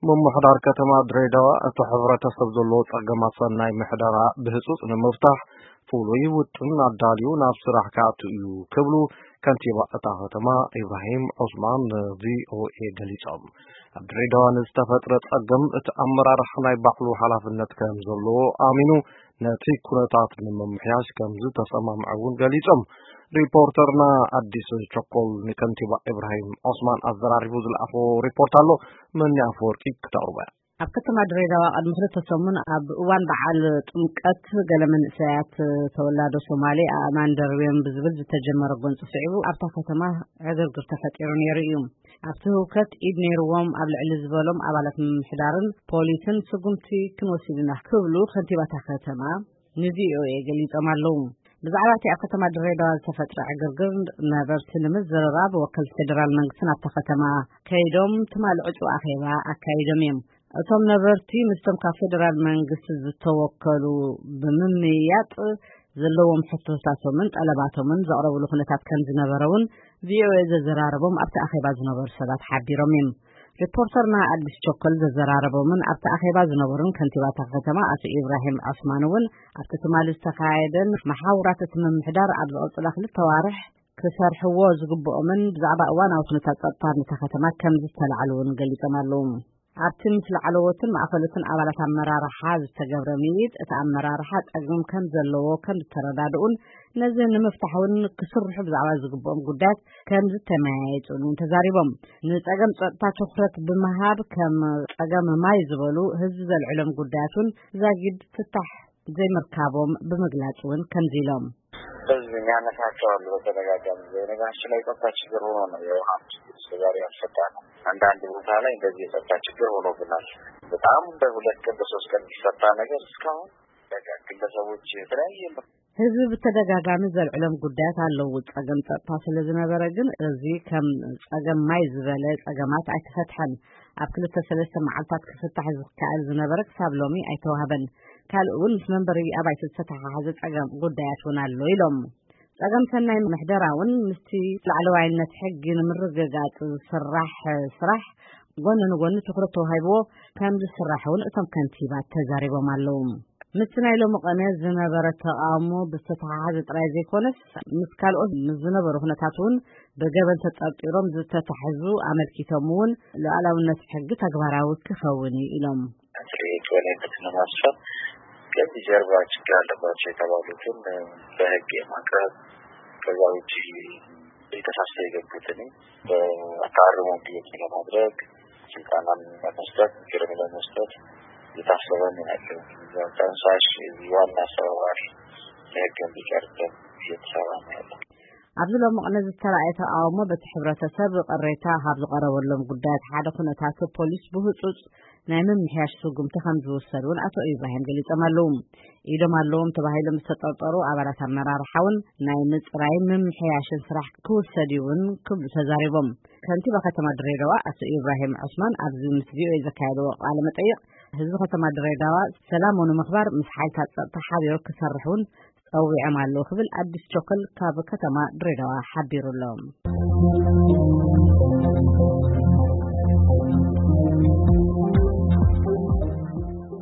ምምሕዳር ከተማ ድሬዳዋ እቲ ሕብረተሰብ ዘለዎ ጸገማት ሰናይ ምሕደራ ብህጹጽ ንምፍታሕ ፍሉይ ውጥን ኣዳልዩ ናብ ስራሕ ክኣቱ እዩ ክብሉ ከንቲባ እታ ከተማ ኢብራሂም ዑስማን ንቪኦኤ ገሊጾም። ኣብ ድሬዳዋ ንዝተፈጥረ ጸገም እቲ ኣመራርሓ ናይ ባዕሉ ሓላፍነት ከም ዘለዎ ኣሚኑ ነቲ ኩነታት ንምምሕያሽ ከም ዝተሰማምዐ እውን ገሊጾም። ሪፖርተርና ኣዲስ ቸኮል ንከንቲባ ኢብራሂም ዑስማን ኣዘራሪቡ ዝለኣኾ ሪፖርት ኣሎ። መኒ ኣፈወርቂ ክተቕርቦ እያ። ኣብ ከተማ ድሬዳዋ ቅድሚ ክልተ ሰሙን ኣብ እዋን በዓል ጥምቀት ገለ መንእሰያት ተወላዶ ሶማሌ ኣእማን ደርብዮም ብዝብል ዝተጀመረ ጎንፂ ስዒቡ ኣብታ ከተማ ዕግርግር ተፈጢሩ ነይሩ እዩ። ኣብቲ ህውከት ኢድ ነይርዎም ኣብ ልዕሊ ዝበሎም ኣባላት ምምሕዳርን ፖሊስን ስጉምቲ ክንወስድ ኢና ክብሉ ከንቲባታ ከተማ ንቪኦኤ ገሊጾም ኣለዉ። ብዛዕባ እቲ ኣብ ከተማ ድሬዳዋ ዝተፈጥረ ዕግርግር ነበርቲ ንምዝርራብ ወከልቲ ፌደራል መንግስትን ኣብታ ከተማ ከይዶም ትማሊ ዕጹ ኣኼባ ኣካይዶም እዮም። እቶም ነበርቲ ምስቶም ካብ ፌደራል መንግስቲ ዝተወከሉ ብምምይያጥ ዘለዎም ሕቶታቶምን ጠለባቶምን ዘቕረብሉ ኩነታት ከም ዝነበረ እውን ቪኦኤ ዘዘራረቦም ኣብቲ ኣኼባ ዝነበሩ ሰባት ሓቢሮም እዮም። ሪፖርተርና ኣዲስ ቸኮል ዘዘራረቦምን ኣብቲ ኣኼባ ዝነበሩን ከንቲባታ ከተማ ኣቶ ኢብራሂም ዑስማን እውን ኣብቲ ትማሊ ዝተኻየደን መሓውራት እቲ ምምሕዳር ኣብ ዝቐጽላ ክልተ ዋርሕ ክሰርሕዎ ዝግብኦምን ብዛዕባ እዋናዊ ኩነታት ጸጥታ ነታ ከተማ ከም ዝተላዕሉ እውን ገሊጾም ኣለዉ። ኣብቲ ምስ ላዕለዎትን ማእኸሎትን ኣባላት ኣመራርሓ ዝተገብረ ምይይጥ እቲ ኣመራርሓ ጸገም ከም ዘለዎ ከም ዝተረዳድኡን ነዚ ንምፍታሕ እውን ክስርሑ ብዛዕባ ዝግብኦም ጉዳያት ከም ዝተመያየጡን እውን ተዛሪቦም። ንጸገም ጸጥታ ትኹረት ብምሃብ ከም ጸገም ማይ ዝበሉ ህዝቢ ዘልዕሎም ጉዳያት እውን ዛጊድ ፍታሕ ዘይምርካቦም ብምግላጽ እውን ከምዚ ኢሎም። ህዝብ የሚያነሳቸው አሉ። በተደጋጋሚ የነገራችን ላይ የጸጥታ ችግር ሆኖ ነው የውሃ ችግር እስከዛሬ ያልፈታ ነው። አንዳንድ ቦታ ላይ እንደዚህ የጸጥታ ችግር ሆኖብናል። በጣም በሁለት ቀን በሶስት ቀን የሚፈታ ነገር እስካሁን በቃ ግለሰቦች የተለያየ ህዝቢ ብተደጋጋሚ ዘልዕሎም ጉዳያት ኣለዉ። ጸገም ጸጥታ ስለ ዝነበረ ግን እዚ ከም ጸገም ማይ ዝበለ ጸገማት ኣይተፈትሐን። ኣብ ክልተ ሰለስተ መዓልታት ክፍታሕ ዝከኣል ዝነበረ ክሳብ ሎሚ ኣይተዋህበን። ካልእ እውን ምስ መንበሪ ኣባይቲ ዝተተሓሓዘ ጸገም ጉዳያት እውን ኣሎ ኢሎም። ጸገም ሰናይ ምሕደራ እውን ምስቲ ላዕለዋይነት ሕጊ ንምርግጋጽ ዝስራሕ ስራሕ ጎኒ ንጎኒ ትኹረት ተዋሂብዎ ከም ዝስራሕ እውን እቶም ከንቲባ ተዛሪቦም ኣለዉ። ምስቲ ናይ ሎሚ ቀነ ዝነበረ ተቓውሞ ብዝተተሓሓዘ ጥራይ ዘይኮነስ ምስ ካልኦት ምስ ዝነበሩ ኩነታት እውን ብገበን ተጠርጢሮም ዝተታሕዙ ኣመልኪቶም እውን ሉዓላውነት ሕጊ ተግባራዊ ክኸውን እዩ ኢሎም። ትልቅ የበላይነትን ለማስፈን ከዚህ ጀርባ ችግር አለባቸው የተባሉትን በህግ የማቅረብ ከዛ ውጭ የተሳሰ የገቡትን በአታርሞ እንዲወጡ ለማድረግ ስልጠናን ለመስጠት ምክርም ለመስጠት የታሰበ ነው ያለው። ጠንሳሽ ዋና አስተባባሪ ለህግ እንዲቀርብ እየተሰራ ነው ያለው። ኣብዚ ሎሚ ቅነ ዝተራእየ ተቃውሞ በቲ ሕብረተሰብ ቅሬታ ካብ ዝቐረበሎም ጉዳያት ሓደ ኩነታት ፖሊስ ብህፁፅ ናይ ምምሕያሽ ስጉምቲ ከም ዝውሰድ እውን ኣቶ ኢብራሂም ገሊፆም ኣለዉ። ኢዶም ኣለዎም ተባሂሎም ዝተጠርጠሩ ኣባላት ኣመራርሓ እውን ናይ ምፅራይ ምምሕያሽን ስራሕ ክውሰድ እዩ እውን ክብሉ ተዛሪቦም። ከንቲባ ከተማ ድሬዳዋ ኣቶ ኢብራሂም ዑስማን ኣብዚ ምስ ቪኦኤ ዘካየድዎ ቃለ መጠይቕ ህዝቢ ከተማ ድሬዳዋ ሰላሙ ንምኽባር ምስ ሓይልታት ፀጥታ ሓቢሩ ክሰርሕ እውን ጸዊዖም ኣለዉ ክብል ኣዲስ ቾከል ካብ ከተማ ድሬዳዋ ሓቢሩ ኣሎ።